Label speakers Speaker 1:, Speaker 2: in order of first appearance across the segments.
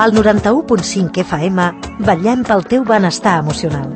Speaker 1: Al 91.5 FM vetllem pel teu benestar emocional.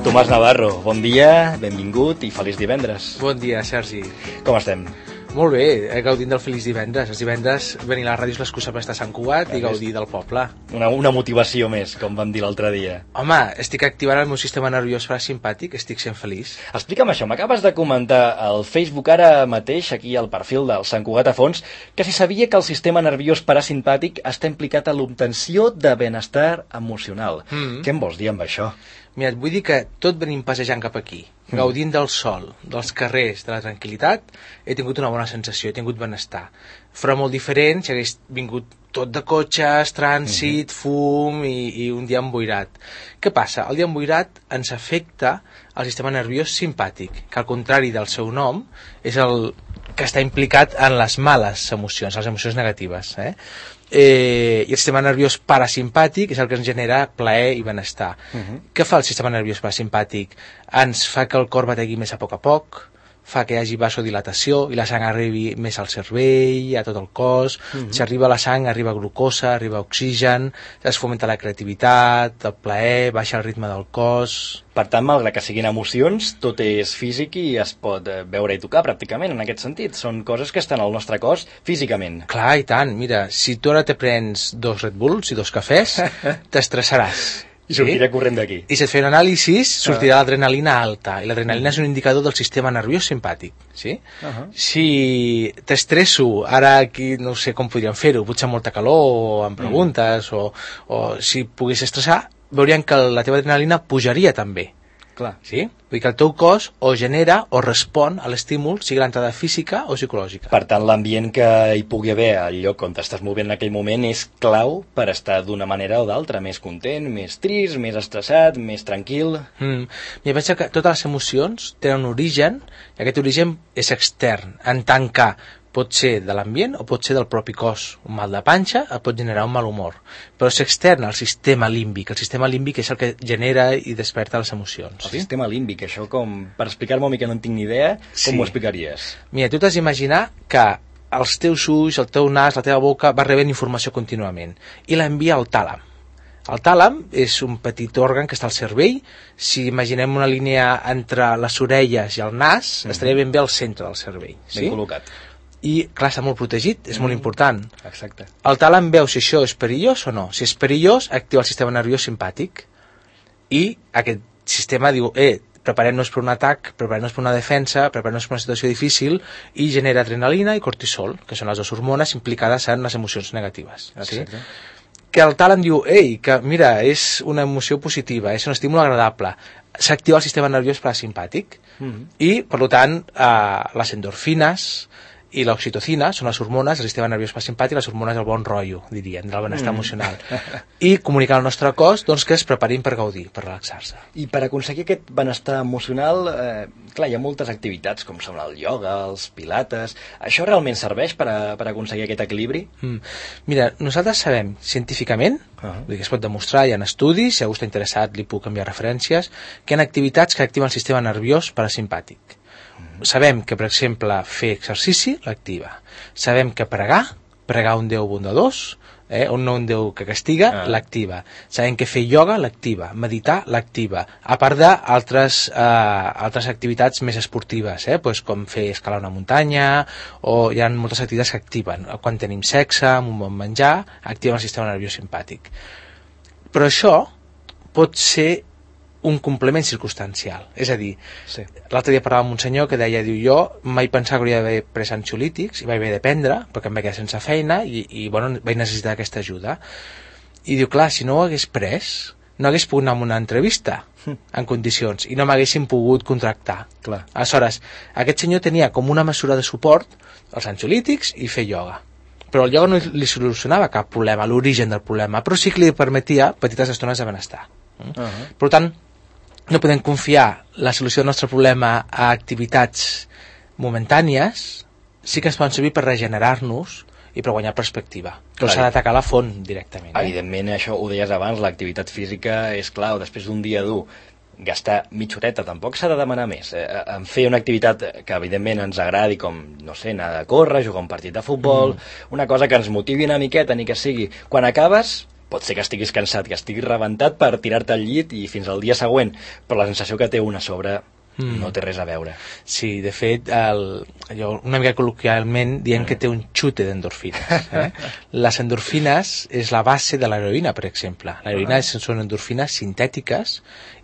Speaker 2: Tomàs Navarro, bon dia, benvingut i feliç divendres.
Speaker 3: Bon dia, Sergi.
Speaker 2: Com estem?
Speaker 3: Molt bé, gaudint del feliç divendres. Els divendres venir a la ràdio és l'excusa per estar a Sant Cugat i gaudir del poble.
Speaker 2: Una motivació més, com vam dir l'altre dia.
Speaker 3: Home, estic activant el meu sistema nerviós parasimpàtic, estic sent feliç.
Speaker 2: Explica'm això, m'acabes de comentar al Facebook ara mateix, aquí al perfil del Sant Cugat a Fons, que si sabia que el sistema nerviós parasimpàtic està implicat a l'obtenció de benestar emocional. Què em vols dir amb això?
Speaker 3: Mira, et vull dir que tot venim passejant cap aquí, gaudint del sol, dels carrers, de la tranquil·litat, he tingut una bona sensació, he tingut benestar. Fora molt diferent si hagués vingut tot de cotxes, trànsit, fum i un dia emboirat. Què passa? El dia emboirat ens afecta el sistema nerviós simpàtic, que al contrari del seu nom és el que està implicat en les males emocions, les emocions negatives. I el sistema nerviós parasimpàtic és el que ens genera plaer i benestar. Què fa el sistema nerviós parasimpàtic? Ens fa que el cor bategui més a poc, fa que hi hagi vasodilatació i la sang arribi més al cervell, a tot el cos. Si arriba la sang, arriba glucosa, arriba oxigen, es fomenta la creativitat, el plaer, baixa el ritme del cos.
Speaker 2: Per tant, malgrat que siguin emocions, tot és físic i es pot veure i tocar pràcticament en aquest sentit. Són coses que estan al nostre cos físicament.
Speaker 3: Clar, i tant. Mira, si tu ara te prens 2 Red Bulls i 2 cafès, t'estressaràs.
Speaker 2: I sortirà corrent d'aquí.
Speaker 3: I si et feien anàlisis, sortirà l'adrenalina alta. I l'adrenalina és un indicador del sistema nerviós simpàtic. Sí? Si t'estresso, ara aquí no sé com podríem fer-ho, potser amb molta calor, o em preguntes, o si pogués estressar, veurien que la teva adrenalina pujaria també.
Speaker 2: Clar.
Speaker 3: Sí? Vull dir que el teu cos o genera o respon a l'estímul, sigui l'entrada física o psicològica.
Speaker 2: Per tant, l'ambient que hi pugui haver al lloc on t'estàs movent en aquell moment és clau per estar d'una manera o d'altra, més content, més trist, més estressat, més tranquil.
Speaker 3: Jo penso que totes les emocions tenen un origen, i aquest origen és extern, en tant que pot ser de l'ambient o pot ser del propi cos. Un mal de panxa et pot generar un mal humor, però és extern al sistema límbic. El sistema límbic és el que genera i desperta les emocions.
Speaker 2: El sistema límbic, això com, per explicar-m'ho a mi que no en tinc ni idea, com ho explicaries?
Speaker 3: Mira, tu t'has d'imaginar que els teus ulls, el teu nas, la teva boca va rebent informació contínuament i l'envia al tàlam. El tàlam és un petit òrgan que està al cervell. Si imaginem una línia entre les orelles i el nas, estaria ben bé al centre del cervell.
Speaker 2: Ben col·locat.
Speaker 3: I, clar, està molt protegit, és molt important.
Speaker 2: Exacte.
Speaker 3: El tàlam veu si això és perillós o no. Si és perillós, activa el sistema nerviós simpàtic. I aquest sistema diu, preparem-nos per un atac, preparem-nos per una defensa, preparem-nos per una situació difícil, i genera adrenalina i cortisol, que són les dues hormones implicades en les emocions negatives.
Speaker 2: Exacte.
Speaker 3: Sí? Que el tàlam diu, que mira, és una emoció positiva, és un estímul agradable. S'activa el sistema nerviós parasimpàtic i, per tant, les endorfines i l'oxitocina són les hormones del sistema nerviós parasimpàtic, les hormones del bon rotllo, dirien, del benestar emocional. I comunicar al nostre cos que es preparin per gaudir, per relaxar-se.
Speaker 2: I per aconseguir aquest benestar emocional, clar, hi ha moltes activitats, com són el ioga, els pilates. Això realment serveix per aconseguir aquest equilibri?
Speaker 3: Mira, nosaltres sabem científicament, vull dir que es pot demostrar, hi ha estudis, si algú està interessat li puc enviar referències, que hi ha activitats que activen el sistema nerviós parasimpàtic. Sabem que, per exemple, fer exercici l'activa. Sabem que pregar un Déu bondadós, un Déu que castiga, l'activa. Sabem que fer ioga l'activa, meditar l'activa, a part d'altres activitats més esportives, com fer escalar una muntanya, o hi ha moltes activitats que activen. Quan tenim sexe, amb un bon menjar, activen el sistema nerviós simpàtic. Però això pot ser un complement circumstancial. És a dir, l'altre dia parlava amb un senyor que deia, jo mai pensava que hauria d'haver pres ansiolítics i vaig haver de prendre, perquè em vaig quedar sense feina i vaig necessitar aquesta ajuda. I diu, clar, si no ho hagués pres, no hagués pogut anar a una entrevista en condicions i no m'haguessin pogut contractar. Aleshores, aquest senyor tenia com una mesura de suport els ansiolítics i fer ioga. Però el ioga no li solucionava cap problema, l'origen del problema, però sí que li permetia petites estones de benestar. Per tant, no podem confiar la solució del nostre problema a activitats momentànies, sí que ens poden servir per regenerar-nos i per guanyar perspectiva. Però s'ha d'atacar la font directament.
Speaker 2: Evidentment, això ho deies abans, l'activitat física és clau. Després d'un dia dur, gastar mitja horeta, tampoc s'ha de demanar més. En fer una activitat que evidentment ens agradi, com, no sé, anar a córrer, jugar un partit de futbol, una cosa que ens motivi una miqueta, ni que sigui. Quan acabes, pot ser que estiguis cansat, que estiguis rebentat per tirar-te al llit i fins al dia següent, però la sensació que té una sobre no té res a veure.
Speaker 3: Sí, de fet, una mica col·loquialment diem que té un xute d'endorfines. Les endorfines és la base de l'heroïna, per exemple. L'heroïna són endorfines sintètiques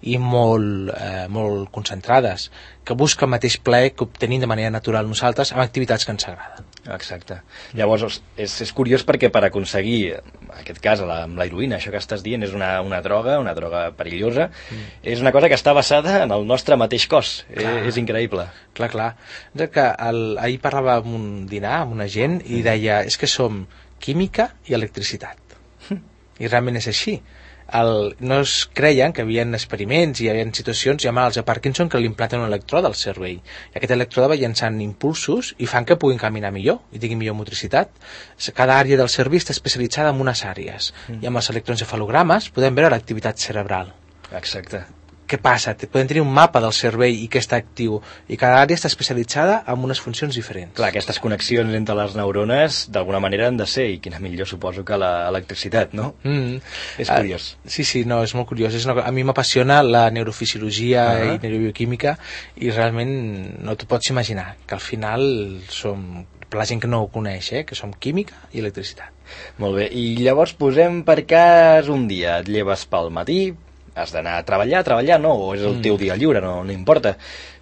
Speaker 3: i molt concentrades, que busca el mateix plaer que obtenim de manera natural nosaltres amb activitats que ens agraden.
Speaker 2: Exacte. Llavors, és curiós perquè per aconseguir, en aquest cas, amb l'heroïna, això que estàs dient, és una droga perillosa, és una cosa que està basada en el nostre mateix cos. És increïble.
Speaker 3: Clar. Que ahir parlava amb un dinar amb una gent i deia, és que som química i electricitat. I realment és així. No es creien que hi havia experiments i hi havia situacions, hi ha malalts de Parkinson que li implanten un electrode al cervell i aquest electrode va llançant impulsos i fan que puguin caminar millor i tinguin millor motricitat. Cada àrea del cervell està especialitzada en unes àrees i amb els electroencefalogrames podem veure l'activitat cerebral.
Speaker 2: Exacte.
Speaker 3: Què passa? Podem tenir un mapa del cervell i que està actiu i cada àrea està especialitzada en unes funcions diferents.
Speaker 2: Clar, aquestes connexions entre les neurones d'alguna manera han de ser, i quina millor suposo que l'electricitat, no? És curiós.
Speaker 3: Sí, no, és molt curiós. A mi m'apassiona la neurofisiologia i neurobioquímica i realment no t'ho pots imaginar, que al final som, per la gent que no ho coneix, que som química i electricitat.
Speaker 2: Molt bé, i llavors posem per cas un dia, et lleves pel matí, has d'anar a treballar, no? O és el teu dia lliure, no importa.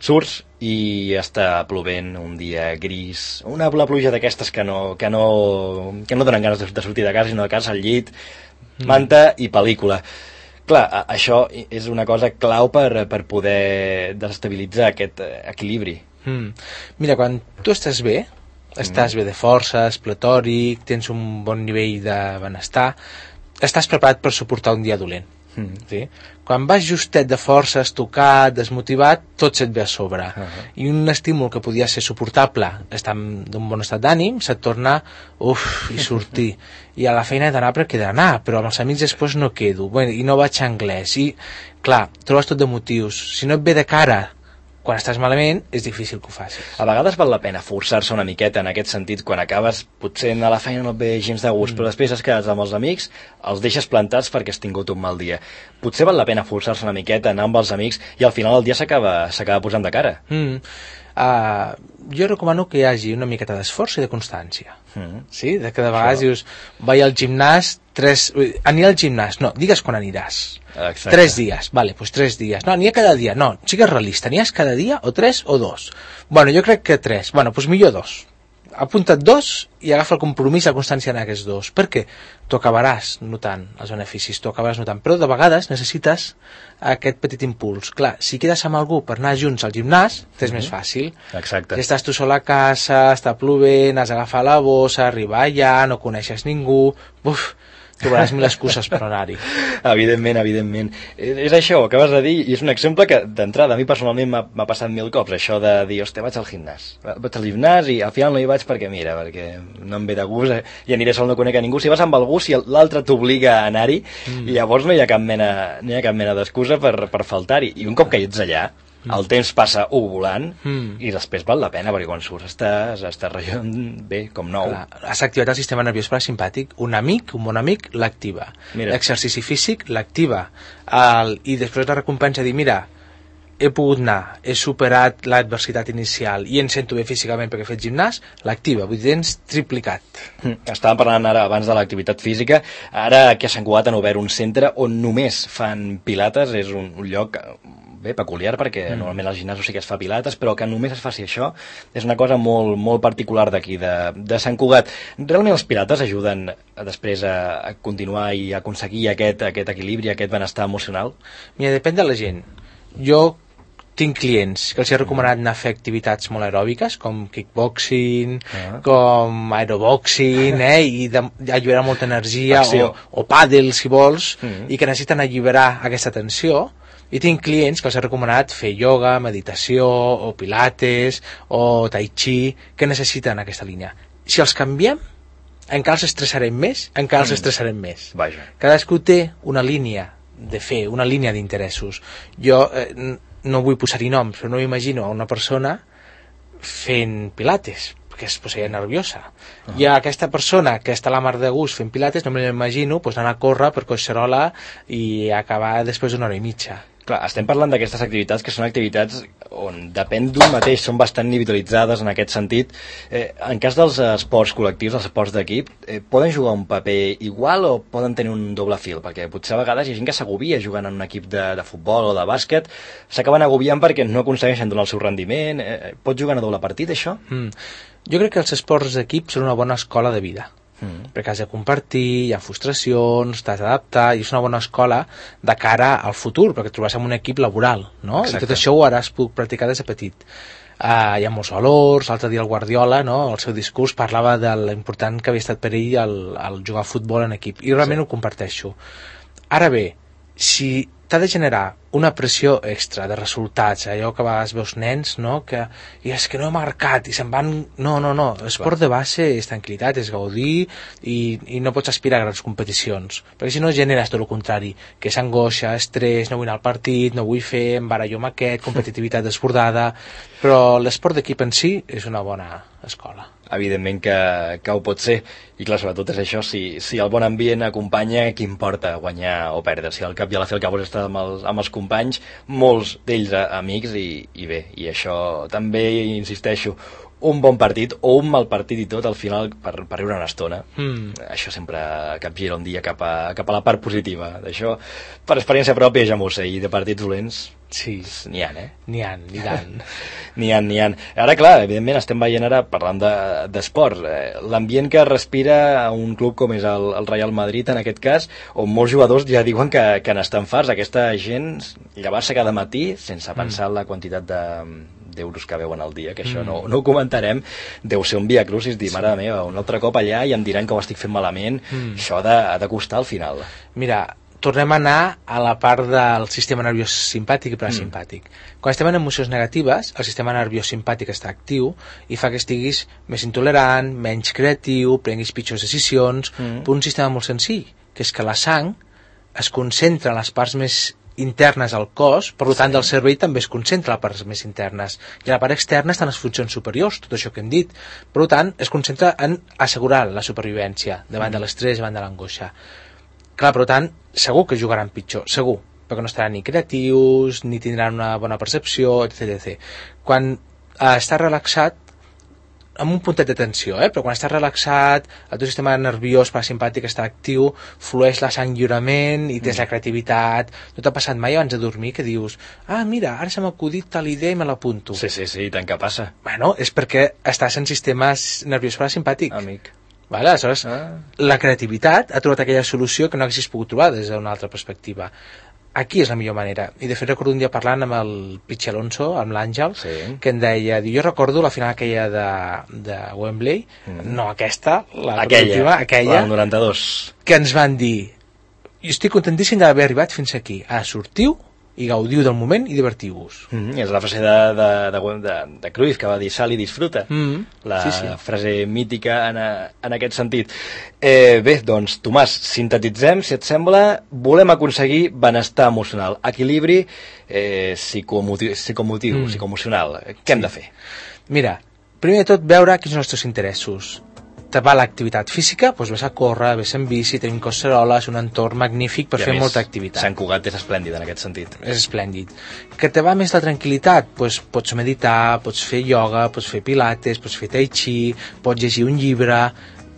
Speaker 2: Surts i està plovent un dia gris, la pluja d'aquestes que no donen ganes de sortir de casa, sinó de casa al llit, manta i pel·lícula. Clar, això és una cosa clau per poder desestabilitzar aquest equilibri.
Speaker 3: Mira, quan tu estàs bé de forces, pletòric, tens un bon nivell de benestar, estàs preparat per suportar un dia dolent. Sí? Quan vas justet de forces, tocat, desmotivat, tot se't ve a sobre i un estímul que podia ser suportable, estar d'un bon estat d'ànim, se't torna i sortir i a la feina he d'anar perquè he d'anar, però amb els amics després no quedo, i no vaig a anglès i clar, trobes tot de motius. Si no et ve de cara quan estàs malament, és difícil que ho facis.
Speaker 2: A vegades val la pena forçar-se una miqueta en aquest sentit, quan acabes, potser a la feina no et ve gens de gust, però després has quedat amb els amics, els deixes plantats perquè has tingut un mal dia. Potser val la pena forçar-se una miqueta, anar amb els amics, i al final el dia s'acaba posant de cara.
Speaker 3: Jo recomano que hi hagi una miqueta d'esforç i de constància. Sí? De que de vegades dius, vaig al gimnàs, aniré al gimnàs, no, digues quan aniràs.
Speaker 2: Exacte.
Speaker 3: 3 dies, vale, doncs 3 dies. No, aniré cada dia, no, sigues realista, aniràs cada dia o 3 o 2. Bueno, jo crec que 3, bueno, doncs millor 2. Apunta't 2 i agafa el compromís, la constància en aquests 2. Per què? Tu acabaràs notant els beneficis, però de vegades necessites aquest petit impuls. Clar, si quedes amb algú per anar junts al gimnàs, és més fàcil.
Speaker 2: Exacte.
Speaker 3: Si estàs tu sol a casa, està plovent, has d'agafar la bossa, arribar allà, no coneixes ningú, trobaràs 1000 excuses per anar-hi.
Speaker 2: Evidentment. És això, ho acabes de dir, i és un exemple que, d'entrada, a mi personalment m'ha passat 1000 cops, això de dir, hòstia, vaig al gimnàs i al final no hi vaig perquè no em ve de gust, i aniré sol, no conec a ningú. Si vas amb algú, si l'altre t'obliga a anar-hi, i llavors no hi ha cap mena d'excusa per faltar-hi. I un cop que hi ets allà, el temps passa volant i després val la pena, perquè quan surts estàs rellent bé, com nou.
Speaker 3: Has activat el sistema nerviós parasimpàtic. Un bon amic l'activa. L'exercici físic l'activa. I després la recompensa dir, mira, he pogut anar, he superat l'adversitat inicial i em sento bé físicament perquè he fet gimnàs, l'activa, vull dir, tens triplicat.
Speaker 2: Estàvem parlant ara abans de l'activitat física, ara que a Sant Cugat han obert un centre on només fan pilates, és un lloc peculiar perquè normalment als gimnasos sí que es fa pilates, però que només es faci això és una molt, molt particular d'aquí de Sant Cugat. Realment els pilates ajuden després a continuar i a aconseguir aquest equilibri, aquest benestar emocional?
Speaker 3: Mira, depèn de la gent. Jo tinc clients que els he recomanat anar a fer activitats molt aeròbiques, com kickboxing, com aeroboxing, i alliberar molta energia, o pàdel, si vols, i que necessiten alliberar aquesta tensió. I tinc clients que els he recomanat fer ioga, meditació, o pilates, o tai chi, que necessiten aquesta línia. Si els canviem, encara els estressarem més, Cadascú té una línia de fer una línia d'interessos. Jo no vull posar-hi noms, però no m'imagino a una persona fent pilates, perquè es posaria nerviosa. I a aquesta persona que està a la mar de gust fent pilates, no me l'imagino anar a córrer per Collserola i acabar després d'una hora i mitja.
Speaker 2: Clar, estem parlant d'aquestes activitats que són activitats on depèn d'un mateix, són bastant individualitzades en aquest sentit. En cas dels esports col·lectius, dels esports d'equip, poden jugar un paper igual o poden tenir un doble fil? Perquè potser a vegades hi ha gent que s'agobia jugant en un equip de futbol o de bàsquet, s'acaben agobiant perquè no aconsegueixen donar el seu rendiment. Pot jugar a doble partit, això?
Speaker 3: Jo crec que els esports d'equip són una bona escola de vida. Perquè has de compartir, hi ha frustracions, t'has d'adaptar, i és una bona escola de cara al futur, perquè et trobaràs en un equip laboral, no? Exacte. I tot això ho haràs poder practicar des de petit. Hi ha molts valors. L'altre dia el Guardiola, no, el seu discurs parlava de l'important que havia estat per ell el jugar a futbol en equip, i realment ho comparteixo. Ara bé, si t'ha de generar una pressió extra de resultats, allò que a vegades veus nens, no? Que i és que no he marcat i se'n van... No, l'esport de base és tranquil·litat, és gaudir i no pots aspirar a grans competicions, perquè si no generes tot el contrari, que és angoixa, estrès, no vull anar al partit, no vull fer, em barallo amb aquest, competitivitat desbordada. Però l'esport d'equip en si és una bona escola.
Speaker 2: Evidentment que ho pot ser, i clar, sobretot és això, si el bon ambient acompanya, què importa guanyar o perdre? Si al cap i a la fi el que vols estar amb els companys, molts d'ells amics, i bé, i això també, insisteixo, un bon partit o un mal partit i tot al final per riure una estona. Això sempre capgira un dia cap a la part positiva. D'això, per experiència pròpia ja m'ho sé, i de partits dolents
Speaker 3: sí,
Speaker 2: n'hi ha,
Speaker 3: N'hi ha, i tant.
Speaker 2: N'hi ha. Ara, clar, evidentment estem veient ara, parlant d'esport, l'ambient que respira a un club com és el Real Madrid, en aquest cas, on molts jugadors ja diuen que n'estan farts. Aquesta gent llevar-se cada matí sense pensar en la quantitat d'euros que veuen al dia, que això no ho comentarem, deu ser un viacrucis, dir, mare meva, un altre cop allà i em diran que ho estic fent malament. Això ha de costar al final.
Speaker 3: Mira, tornem a anar a la part del sistema nerviós simpàtic i parasimpàtic. Quan estem en emocions negatives, el sistema nerviós simpàtic està actiu i fa que estiguis més intolerant, menys creatiu, prenguis pitjors decisions, per un sistema molt senzill, que és que la sang es concentra en les parts més internes al cos, per tant del cervell també es concentra a les parts més internes, i a la part externa estan les funcions superiors, tot això que hem dit. Per tant, es concentra en assegurar la supervivència davant de l'estrès, davant de l'angoixa. Clar, per tant, segur que jugaran pitjor, segur, perquè no estaran ni creatius, ni tindran una bona percepció, etc. Quan estàs relaxat, amb un puntet de tensió, però quan estàs relaxat, el teu sistema nerviós parasimpàtic està actiu, flueix la sang lliurement i tens la creativitat. No t'ha passat mai abans de dormir que dius, mira, ara se m'ha acudit tal idea i me l'apunto?
Speaker 2: Sí, tant que passa.
Speaker 3: Bueno, és perquè estàs en sistema nerviós parasimpàtic.
Speaker 2: Amic.
Speaker 3: Vale, aleshores, la creativitat ha trobat aquella solució que no haguessis pogut trobar des d'una altra perspectiva. Aquí és la millor manera. I de fet recordo un dia parlant amb el Pichi Alonso, amb l'Àngel, que em deia, jo recordo la final aquella de Wembley, no aquesta,
Speaker 2: aquella,
Speaker 3: el
Speaker 2: 92,
Speaker 3: que ens van dir, jo estic contentíssim d'haver arribat fins aquí, ara sortiu i gaudiu del moment i divertiu-vos.
Speaker 2: És la frase de Cruyff, que va dir sal i disfruta, frase mítica en aquest sentit. Bé, doncs, Tomàs, sintetitzem, si et sembla, volem aconseguir benestar emocional, equilibri psicoemocional. Què hem de fer?
Speaker 3: Mira, primer de tot veure quins són els teus interessos. Te va l'activitat física, doncs ves a córrer, ves en bici, tenim Collserola, és un entorn magnífic per fer molta activitat.
Speaker 2: Sant Cugat és esplèndid en aquest sentit.
Speaker 3: És esplèndid. Que te va més la tranquil·litat, doncs pots meditar, pots fer ioga, pots fer pilates, pots fer tai chi, pots llegir un llibre.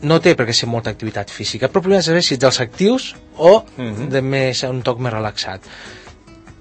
Speaker 3: No té per què ser molta activitat física, però primer has de saber si ets dels actius o de més un toc més relaxat.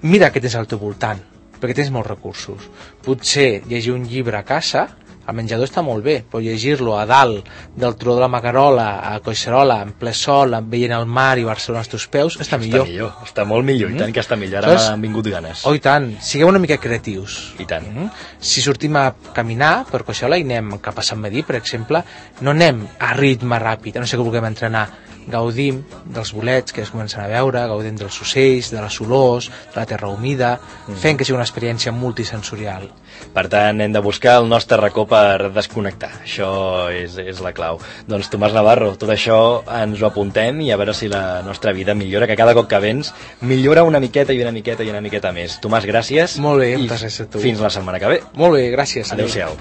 Speaker 3: Mira què tens al teu voltant, perquè tens molts recursos. Potser llegir un llibre a casa, al menjador està molt bé, però llegir-lo a dalt del turó de la Magarola, a Collserola, en ple sol, veient el mar i Barcelona als teus peus, està millor.
Speaker 2: Està molt millor, i tant que està millor. Ara m'han vingut ganes.
Speaker 3: Oh, i tant. Sigueu una mica creatius.
Speaker 2: I tant.
Speaker 3: Si sortim a caminar per Collserola i anem cap a Sant Medir, per exemple, no anem a ritme ràpid, a no ser que vulguem entrenar. gaudim dels bolets que es comencen a veure, gaudim dels ocells, de les olors, de la terra humida, fent que sigui una experiència multisensorial.
Speaker 2: Per tant, hem de buscar el nostre racó per desconnectar. Això és la clau. Doncs Tomàs Navarro, tot això ens ho apuntem i a veure si la nostra vida millora, que cada cop que vens millora una miqueta i una miqueta i una miqueta més. Tomàs, gràcies.
Speaker 3: Molt bé, moltes gràcies a tu.
Speaker 2: Fins la setmana que ve.
Speaker 3: Molt bé, gràcies.
Speaker 2: Adéu-siau.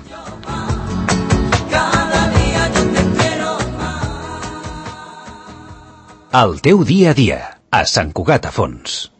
Speaker 4: El teu dia a dia, a Sant Cugat a Fons.